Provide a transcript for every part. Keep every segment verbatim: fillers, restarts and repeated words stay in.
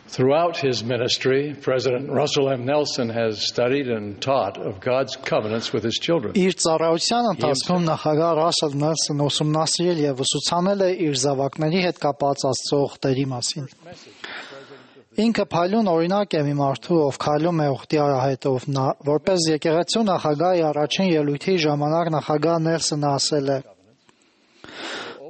Throughout his ministry, President Russell M. Nelson has studied and taught of God's covenants with his children. Իր ծառայության ընթացքում նախագահ Ռասել Նելսոնը ուսումնասիրել եւ ուսուցանել է իր զավակների հետ կապված Աստծո ուխտերի մասին։ Ինքը փայլուն օրինակ է մի մարդու, ով քայլում է ուխտի արահետով։ Նա, որպես եկեղեցու նախագահի առաջին ելույթի ժամանակ նախագահ Նելսոնը ասել է.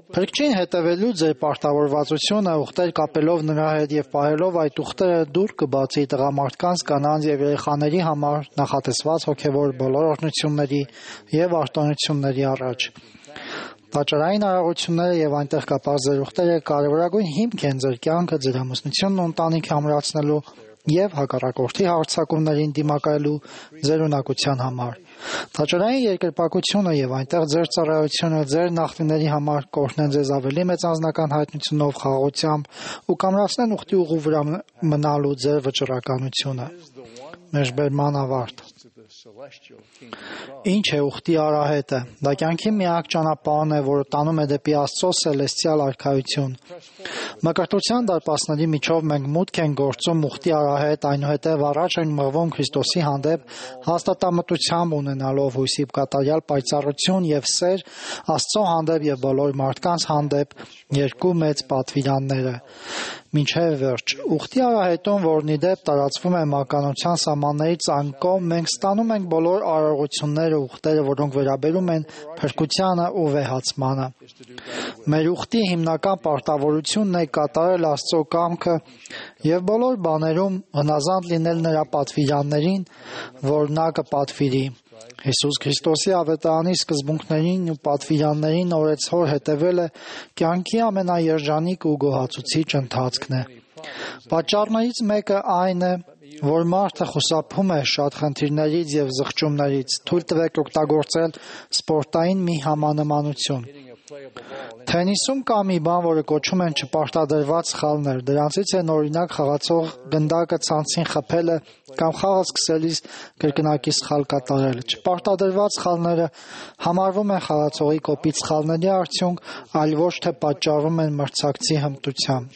Փրկչին հետևելու ձեր պարտավորվածությունը ուխտեր կապելով նրա հետ եւ պահելով այդ ուխտերը դուր կբացի տղամարդկանց, կանանց եւ երեխաների համար նախատեսված հոգեվոր բոլոր օրհնությունների եւ արտոնությունների առաջ։ Տաճարային արարողությունները եւ այնտեղ կապված ձեր ուխտերը կարևորագույն հիմք են ձեր կյանքը, ձեր ամուսնությունն ու ընտանիքը ամրացնելու եւ հակառակորդի հարձակումներին դիմակայելու ձեր ունակության համար։ Տաճարային երկրպագությունը եւ այնտեղ ձեր ծառայությունը ձեր նախնիների համար կօրհնեն ձեզ ավելի մեծ անձնական հայտնությունով, խաղաղությամբ ու կամրացնեն ուխտի ուղու վրա մնալու ձեր վճռականությունը։ Մեջբերման ավարտ։ Ինչ է ուխտի արահետը։ Դա կյանքի միակ ճանապարհն է, որը տանում է դեպի Աստծո սելեստիալ արքայություն։ Մկրտության դարպասների միջով մենք մուտք ենք գործում ուխտի արահետ, այնուհետև առաջ ենք մղվում Քրիստոսի հանդեպ հաստատամտությամբ ունենալով հույսի կատարյալ պայծառություն եւ սեր Աստծո հանդեպ եւ բոլոր մարդկանց հանդեպ երկու մեծ պատվիրանները։ Մինչև վերջ, ուխտի արահետում, որն ի դեպ տարածվում է մականության սահմաններից անկողմ, մենք ստանում ենք բոլոր արարողությունները, ուխտերը, որոնք վերաբերում են փրկությանը ու վեհացմանը։ Մեր ուխտի հիմնական պարտավորությունն է կատարել Աստծո կամքը եւ բոլոր բաներում հնազանդ լինել նրա պատվիրաններին, որ նա կպատվիրի։ Հիսուս Քրիստոսի ավետարանի սկզբունքներին ու պատվիրաններին օրեցօր հետևելը կյանքի ամենաերջանիկ ու գոհացուցիչ ընթացքն է։ Պատճառներից մեկը այն է, որ մարդը խուսափում է շատ խնդիրներից եւ զղջումներից, թույլ տվեք օգտագործել սպորտային մի համանմանություն։ Թենիսում կա մի բան, որը կոչում են չպարտադրված սխալներ։ Դրանցից են օրինակ խաղացող գնդակը ցանցին խփելը կամ խաղը սկսելիս կրկնակի սխալ կատարելը։ Չպարտադրված սխալները համարվում են խաղացողի կոպիտ սխալների արդյունք, այլ ոչ թե պատճառում են մրցակցի հմտության։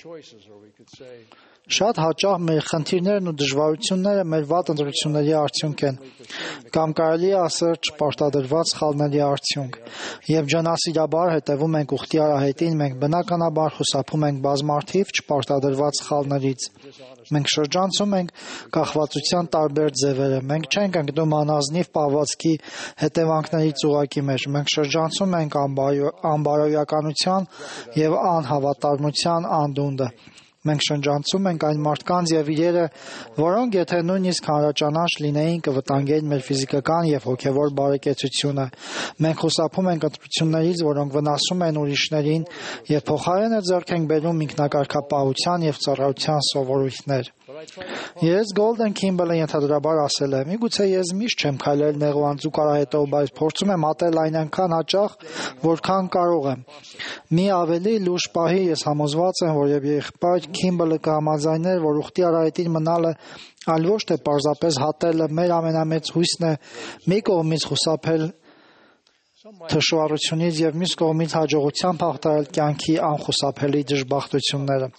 Շատ հաճախ մեր խնդիրներն ու դժվարությունները մեր վատ ընտրությունների արդյունք են, կամ կարելի է ասել չպարտադրված սխալների արդյունք։ Եվ ջանասիրաբար հետևում ենք ուխտի արահետին, մենք բնականաբար խուսափում ենք բազմաթիվ չպարտադրված սխալներից։ Մենք շրջանցում ենք կախվածության տարբեր ձևերը, մենք չենք ընկնում անազնիվ պահվածքի հետևանքներից ուղղակի մեջ, մենք շրջանցում ենք անբարոյականության եւ անհավատարմության անդունդը։ Մենք շրջանցում ենք այն մարդկանց եւ իրերը, որոնք եթե նույնիսկ հանրաճանաչ լինեին, կվտանգեին մեր ֆիզիկական եւ հոգեվոր բարեկեցությունը։ Մենք խուսափում ենք ընտրություններից, որոնք վնասում են ուրիշներին, եւ փոխարենը ձեռք ենք բերում ինքնակարգապահության եւ ծառայության սովորույթներ։ Ես Գոլդեն Քիմբելը ենթադրաբար ասել է. «Միգուցե ես միշտ չեմ քայլել նեղ ու անձուկ արահետով, բայց փորձում եմ ատել այն այնքան հաճախ, որքան կարող եմ»։ Մի ավելի լուրջ պահի ես համոզված եմ, որ եւ եղբայր Քիմբելը կհամաձայներ, որ ուխտի արահետին մնալը այլ ոչ թե պարզապես հատելը մեր ամենամեծ հույսն է, մի կողմից խուսափել թշվառությունից եւ մյուս կողմից հաջողությամբ հաղթահարել կյանքի անխուսափելի դժբախտությունները։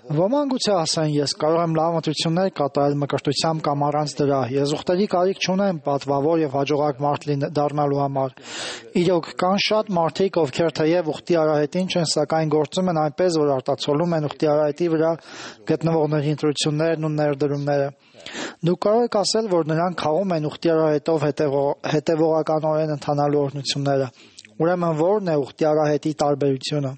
Ոմանք գուցե ասեն, ես կարող եմ լավ ընտրություններ կատարել մկրտությամբ կամ առանց դրա։ Ես ուխտերի կարիք չունեմ պատվավոր եւ հաջողակ մարդ դառնալու համար։ Իրոք կան շատ մարդիկ, ովքեր թեև ուխտի արահետին չեն, սակայն գործում են այնպես, որ արտացոլում են ուխտի արահետի վրա գտնվողների ընտրություններն ու ներդրումները։ Դուք կարող եք ասել, որ նրանք խաղում են ուխտի արահետով հետևողականորեն ընթանալու օրհնությունները։ Ուրեմն ո՞րն է ուխտի արահետի տարբերությունը։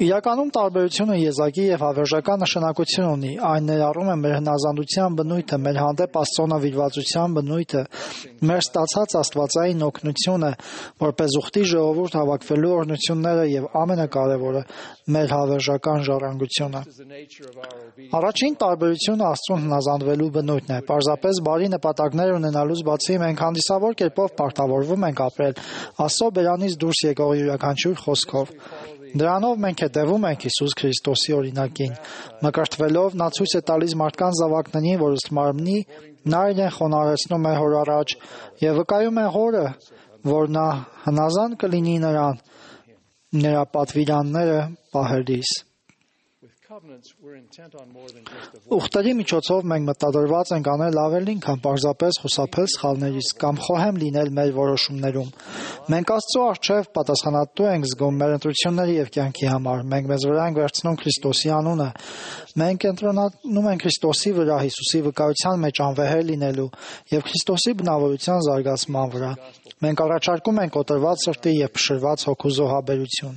Իրականում տարբերությունը եզակի եւ հավերժական նշանակություն ունի։ Այն ներառում է մեր հնազանդության բնույթը, մեր հանդեպ Աստծո նվիրվածության բնույթը, մեր ստացած աստվածային օգնությունը, որպես ուխտի ժողովուրդ հավաքվելու օրհնությունները եւ ամենակարևորը՝ մեր հավերժական ժառանգությունը։ Առաջին տարբերությունը Աստծուն հնազանդվելու բնույթն է։ Պարզապես բարի նպատակներ ունենալուց բացի մենք հանդիսավոր կերպով պարտավորվում ենք ապրել Աստծո բերանից դուրս եկող յուրաքանչյուր խոսքով։ Դրանով մենք հետևում ենք Հիսուս Քրիստոսի օրինակին։ Մկրտվելով նա ցույց է տալիս մարդկանց զավակներին, որ ըստ մարմնի նա իրեն խոնարհեցնում է հոր առաջ եւ վկայում է հորը, որ նա հնազանդ կլինի նրան, նրա պատվիրանները պահելիս։ Ուխտերի միջոցով մենք մտադրված ենք անել ավելին, քան պարզապես խուսափել սխալներից կամ խոհեմ լինել մեր որոշումներում։ Մենք Աստծո առջև պատասխանատու ենք զգում մեր ընտրությունների և կյանքի համար։ Մենք մեզ վրա ենք վերցնում Քրիստոսի անունը։ Մենք կենտրոնանում ենք Քրիստոսի վրա, Հիսուսի վկայության մեջ անվեհեր լինելու և Քրիստոսի բնավորության զարգացման վրա։ Մենք առաջարկում ենք կոտրված սրտի և փշրված հոգու զոհաբերություն։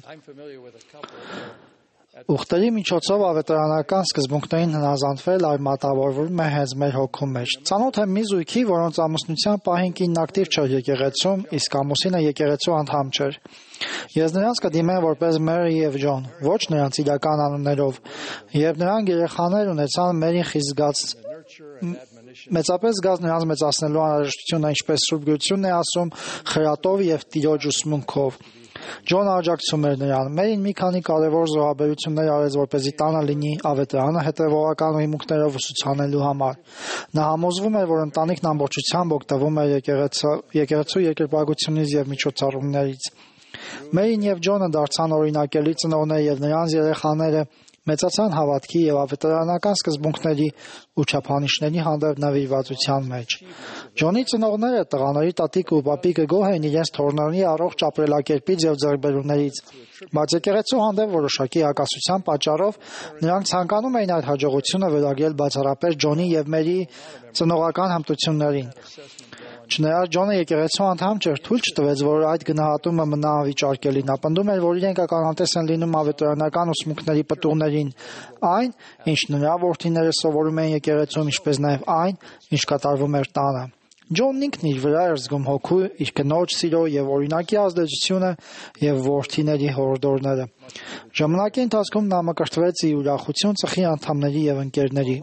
Ուխտերի միջոցով ավետարանական սկզբունքներին հնազանդվել արմատավորվում է հենց մեր հոգու մեջ։ Ծանոթ եմ մի զույգի, որոնց ամուսնության պահին կինն ակտիվ չէր եկեղեցում, իսկ ամուսինը եկեղեցու անդամ չէր։ Ես նրանց կդիմեմ որպես Մերի և Ջոն, ոչ նրանց իրական անուններով, և նրանք երեխաներ ունեցան Մերին խիստ զգաց մեծապես զգաց նրանց մեծացնելու անհրաժեշտությունը, ինչպես Սուրբ Գրությունն է ասում, խրատով և Տիրոջ ուսմունքով։ Ջոնը աջակցում էր նրան։ Մերին մի քանի կարևոր զոհաբերություններ արեց, որպեսզի տանը լինի ավետարանը հետևողական հիմունքներով ուսուցանելու համար։ Նա համոզվում էր, որ ընտանիքն ամբողջությամբ օգտվում էր եկեղեցու երկրպագությունից և միջոցառումներից։ Մերին և Ջոնը դարձան օրինակելի ծնողներ, և նրանց երեխաները մեծացան հավատքի և ավետարանական սկզբունքների ու չափանիշների հանդեպ նվիրվածության մեջ։ Ջոնի ծնողները, տղաների տատիկը ու պապիկը գոհ էին իրենց թոռների առողջ ապրելակերպից և ձեռքբերումներից, բայց եկեղեցու հանդեպ որոշակի հակասության պատճառով նրանք ցանկանում էին այդ հաջողությունը վերագրել բացառապես Ջոնի և Մերիի ծնողական հմտություններին։ Չնայած Ջոնը եկեղեցու անդամ չէր, թույլ չտվեց, որ այդ գնահատումը մնա անվիճարկելի։ Նա պնդում էր, որ իրենք ականատես են լինում ավետարանական ուսմունքների պտուղներին, այն, ինչ նրա որդիները սովորում էին եկեղեցում, ինչպես նաև այն, ինչ կատարվում էր տանը։ Ջոնն ինքն իր վրա էր զգում հոգու, իր կնոջ սիրո և օրինակի ազդեցությունը և որդիների հորդորները։ Ժամանակի ընթացքում նա մկրտվեց ի ուրախություն ծխի անդամների և ընկերների։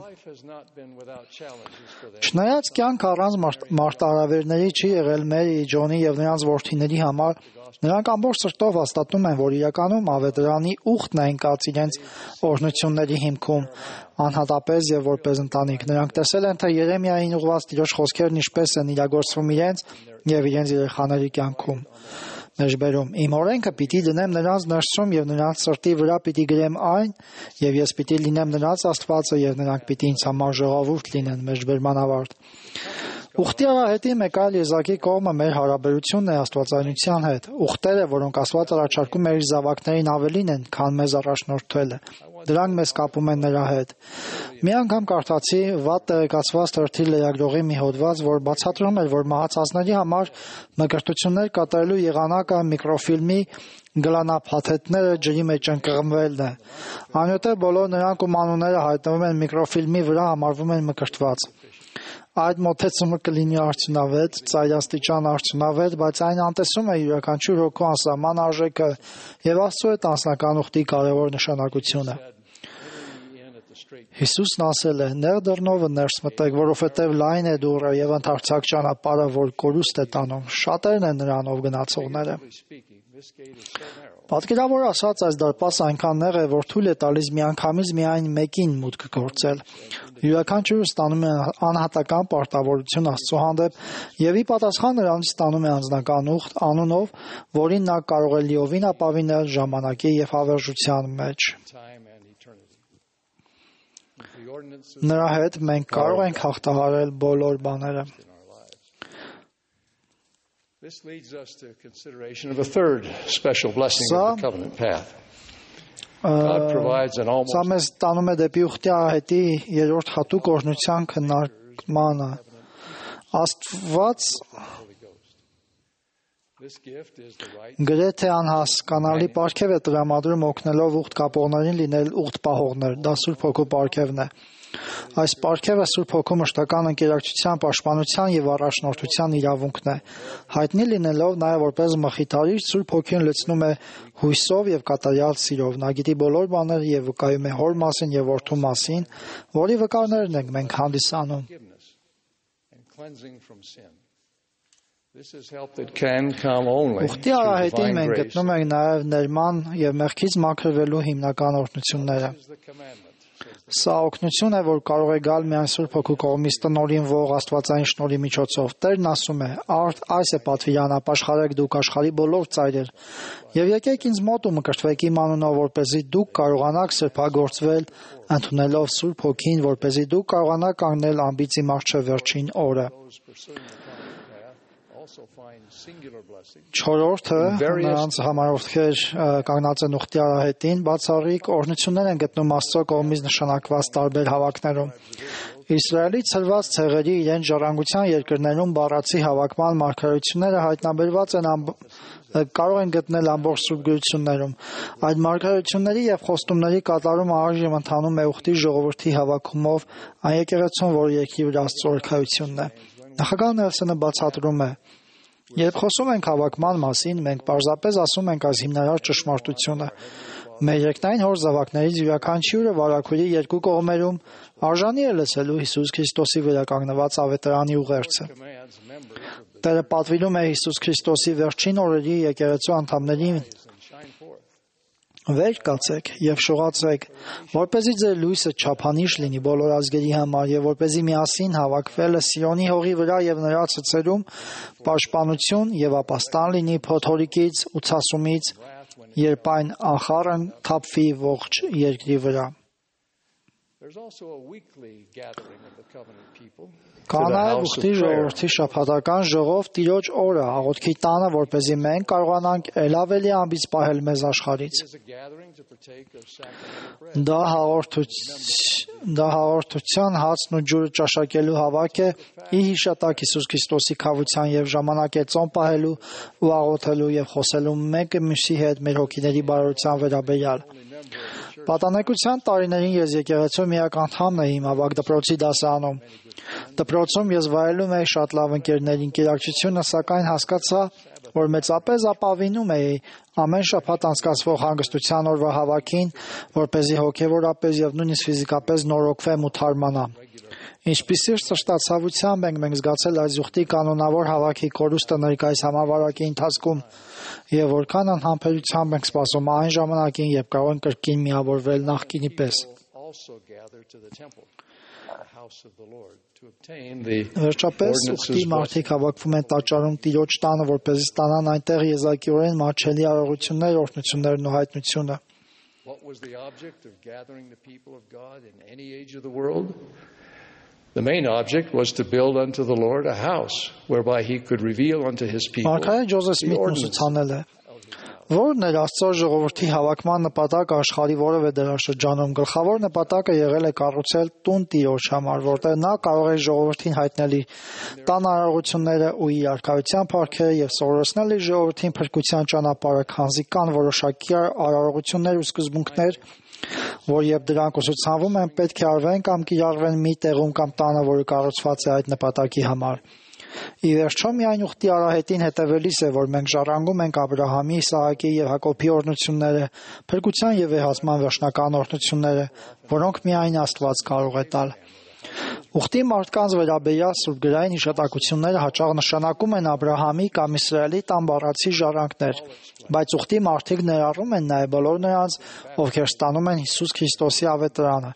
Չնայած կյանքը առանց մարտահրավերների չի եղել Մերիի, Ջոնի և նրանց որդիների համար, նրանք ամբողջ սրտով հաստատում են, որ իրականում ավետարանի ուխտն է ընկած իրենց օրհնությունների հիմքում, անհատապես և որպես ընտանիք։ Նրանք տեսել են, թե Երեմիային ուղղված Տիրոջ խոսքերն ինչպես են իրագործվում իրենց և իրենց երեխաների կյանքում։ Մեջբերում Իմ օրենքը պիտի դնեմ նրանց ներսում և նրանց սրտի վրա պիտի գրեմ այն, և ես պիտի լինեմ նրանց Աստվածը, և նրանք պիտի ինձ համար ժողովուրդ լինեն։ Մեջբերման ավարտ։ Ուխտի արահետի մեկ այլ եզակի կողմը մեր հարաբերությունն է աստվածայնության հետ։ Ուխտերը, որոնք Աստված առաջարկում է իր զավակներին, ավելին են, քան մեզ առաջնորդելը։ Դրանք մեզ կապում են նրա հետ։ Մի անգամ կարդացի վատ տեղեկացված թերթի լրագրողի մի հոդված, որ բացատրում էր, որ մահացածների համար մկրտություններ կատարելու եղանակը միկրոֆիլմի գլանափաթեթները ջրի մեջ ընկղմվելն է։ Այնուհետև բոլոր նրանք, ում անունները հայտնվում են միկրոֆիլմի վրա, համարվում են մկրտված։ Այդ մոտեցումը կլինի արդյունավետ, ծայրաստիճան արդյունավետ, բայց այն անտեսում է յուրաքանչյուր հոգու անսահման արժեքը և Աստծո հետ անձնական ուխտի կարևոր նշանակությունը։ Հիսուսն ասել է. «Նեղ դռնովը ներս մտեք, որովհետև լայն է դուռը և ընդարձակ ճանապարհը, որ կորուստ է տանում, շատերն են նրանով գնացողները»։ Պատկերավոր ասած, այս դարպասը այնքան նեղ է, որ թույլ է տալիս միանգամից միայն մեկին մուտք գործել։ Յուրաքանչյուրը ստանում է անհատական պարտավորություն Աստծո հանդեպ և ի պատասխան նրանից ստանում է անձնական ուխտ, անունով, որին նա կարող է լիովին ապավինել ժամանակի և հավերժության մեջ։ Նրա հետ մենք կարող ենք հաղթահարել բոլոր բաները։ This leads us to consideration of a third special blessing of the covenant path. God provides an almost Սա մեզ տանում է դեպի ուխտի արահետի երրորդ հատուկ օրհնության քննարկմանը։ Աստված գրեթե անհասկանալի պարգև է տրամադրում օգնելով ուխտ կապողներին լինել ուխտ պահողներ։ Դա Սուրբ Հոգու պարգևն է։ Այս պարգևը Սուրբ Հոգու մշտական ընկերակցության, պաշտպանության և առաջնորդության իրավունքն է։ Հայտնի լինելով նաև որպես մխիթարիչ, Սուրբ Հոգին լցնում է հույսով և կատարյալ սիրով։ Նա գիտի բոլոր բաները և վկայում է Հոր մասին և Որդու մասին, որի վկարներն ենք մենք հանդիսանում։ Ուխտի արահետին մենք գտնում ենք նաև ներման և մեղքից մաքրվելու հիմնական օրհնությունները։ Սա օգնություն է, որ կարող է գալ միայն Սուրբ Հոգու կողմից տնօրինվող աստվածային շնորհի միջոցով։ Տերն ասում է. «Արդ այս է պատվիրան, ապաշխարեք դուք աշխարհի բոլոր ծայրեր, եւ եկեք ինձ մոտ ու մկրտվեք իմ անունով, որպեսզի դուք կարողանաք սրբագործվել, ընդունելով Սուրբ Հոգին, որպեսզի դուք կարողանաք կանգնել ամբիծի մահճ վերջին օրը»։ Չորրորդը նրանց համար ովքեր կանգնած են ուխտի արահետին, բացառիկ օրհնություններ են գտնում Աստծո կողմից նշանակված տարբեր հավաքներում։ Իսրայելի ցրված ցեղերի իրենց ժառանգության երկրներում բառացի հավաքման մարգարեությունները հայտնաբերված են ամբ... կարող են գտնել ամբողջ Սուրբ գրություններում։ Այդ մարգարեությունների եւ խոստումների կատարումը այժմ ընթանում է ուխտի ժողովրդի հավաքումով այն եկեղեցուն, որը երկրի վրա Աստծո օրհնությունն է։ Նախագահ Նելսոնը բացատրում է. «Երբ խոսում ենք հավաքման մասին, մենք պարզապես ասում ենք այս հիմնարար ճշմարտությունը։ Մեր երկնային հոր զավակներից յուրաքանչյուրը վարագույրի երկու կողմերում արժանի է լսելու Հիսուս Քրիստոսի վրա կանգնված ավետարանի ուղերձը։ Տերը պատվիրում է Հիսուս Քրիստոսի վերջին օրերի եկեղեցու անդամներին. «Վեր կացեք եւ շողացեք, որպեսզի ձեր լույսը չափանիշ լինի բոլոր ազգերի համար եւ որպեսզի միասին հավաքվելը Սիոնի հողի վրա եւ նրա ցցերում պաշտպանություն եւ ապաստան լինի փոթորիկից ու ցասումից, երբ այն անխառն թափվի ողջ երկրի վրա»։ Կա նաև ուխտի ժողովրդի շաբաթական ժողով Տիրոջ օրը աղոթքի տանը, որպեսզի մենք կարողանանք ել ավելի ամբից պահել մեզ աշխարհից։ Դա հաղորդуց... դա հաղորդության հացն ու ջուրը ճաշակելու հավաք է ի հիշատակ Հիսուս Քրիստոսի քավության եւ ժամանակ է ծոմ պահելու ու աղոթելու եւ խոսելու մեկը մյուսի հետ մեր հոգիների բարօրության վերաբերյալ։ Պատանեկության տարիներին ես եկեղեցու միակ անդամն էի իմ ավագ դպրոցի դասարանում։ Դպրոցում ես վայելում էի շատ լավ ընկերների ընկերակցությունը, սակայն հասկացա, որ մեծապես ապավինում էի ամեն շաբաթ անցկացվող հանգստության օրվա հավաքին, որպեսզի հոգևորապես եւ նույնիսկ ֆիզիկապես նորոգվեմ ու թարմանամ։ Ինչպիսի սրտացավությամբ ենք մենք զգացել այս ուխտի կանոնավոր հավաքի կորուստը ներկայիս համավարակի ընթացքում եւ որքան անհամբերությամբ ենք սպասում այն ժամանակին, երբ կարող ենք կրկին միավորվել նախկինի պես։ Վերջապես ուխտի մարդիկ հավաքվում են տաճարում Տիրոջ տանը, որպեսզի ստանան այնտեղ եզակիորեն մատչելի արարողություններ, օրհնություններն ու հայտնությունը։ The main object was to build unto the Lord a house, whereby he could reveal unto his people the ordinances. Որն էր Աստծո ժողովրդի հավաքման նպատակը աշխարհի որևէ դարաշրջանում։ Գլխավոր նպատակը եղել է կառուցել տուն Տիրոջ համար, որտեղ նա կարող է ժողովրդին հայտնել իր տան արարողությունները ու իր արքայության փառքերը եւ սովորեցնել իր ժողովրդին փրկության ճանապարհը, քանզի կան որոշակի արարողություններ ու սկզբունքներ, որ երբ դրանք ուսուցանվում են, պետք է արվեն կամ կիրառվեն մի տեղում կամ տանը, որը կառուցված է այդ նպատակի համար։ Ի վերջո միայն ուխտի արահետին հետևելիս է, որ մենք ժառանգում ենք Աբրահամի, Իսահակի եւ Հակոբի օրհնությունները, փրկության եւ վեհացման վերջնական օրհնությունները, որոնք միայն Աստված կարող է տալ։ Ուխտի մարդկանց վերաբերյալ սուրբգրային հիշատակությունները հաճախ նշանակում են Աբրահամի կամ Իսրայելի տան բառացի ժառանգներ, բայց ուխտի մարդիկ ներառում են նաև բոլոր նրանց, ովքեր ստանում են Հիսուս Քրիստոսի ավետարանը։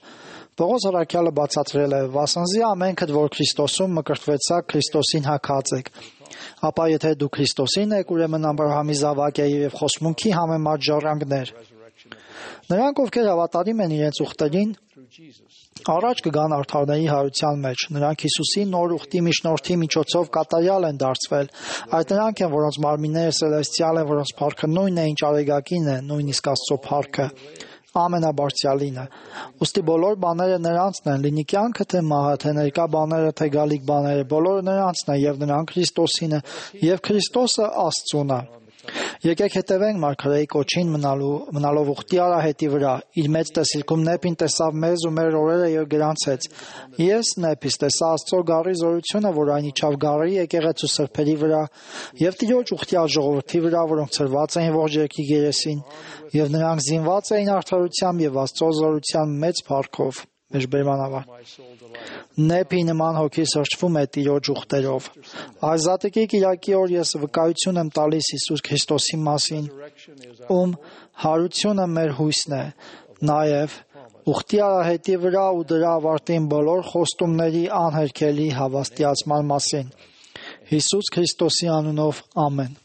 Պողոս առաքյալը բացատրել է. «Վասնզի ամենքդ, որ Քրիստոսում մկրտվեցաք, Քրիստոսին հագած եք։ Ապա եթե դու Քրիստոսին եք, ուրեմն Աբրահամի զավակ եք եւ խոսմունքի համեմատ ժառանգներ»։ Նրանք, ովքեր հավատարիմ են իրենց ուխտերին, առաջ կգան արդարների հարության մեջ։ Նրանք Հիսուսի նոր ուխտի միջնորդի միջոցով կատարյալ են դարձվել։ Այդ նրանք են, որոնց մարմինները սելեստիալ են, որոնց փառքը նույնն է, ինչ արեգակին է, նույնիսկ Աստծո փառքը, ամենաբարձրալինը։ Ոստի բոլոր բաները նրանցն են, լինի կյանքը թե մահը, թե ներկա բաները, թե գալիք բաները, բոլորը նրանցն են, եւ նրանք Քրիստոսինը, եւ Քրիստոսը Աստծուն է։ Եկեք հետևենք մարգարեի կոչին մնալու մնալով ուխտի արահետի վրա։ Իր մեծ տեսիլքում Նեպին տեսավ մեզ ու մեր օրերը եւ գրանցեց։ Ես Նեպից տեսա Աստծո գառի զորությունը, որ այն իջավ գառի եկեղեցու սրբերի վրա եւ Տիրոջ ուխտի ժողովրդի վրա, որոնք ծրված էին ողջ երկրի գերեսին, եւ նրանք զինված էին արդարությամբ եւ Աստծո զորության մեծ փառքով։ Մեջբերմանավար։ Նեպի նման հոգի սրճվում է Տիրոջ ուխտերով։ Ազատիկի կիրակի օր ես վկայություն եմ տալիս Հիսուս Քրիստոսի մասին, ում հարությունը մեր հույսն է, նաև ուխտի արահետի վրա ու դրա ավարտին բոլոր խոստումների անհերքելի հավաստիացման մասին։ Հիսուս Քրիստոսի անունով ամեն։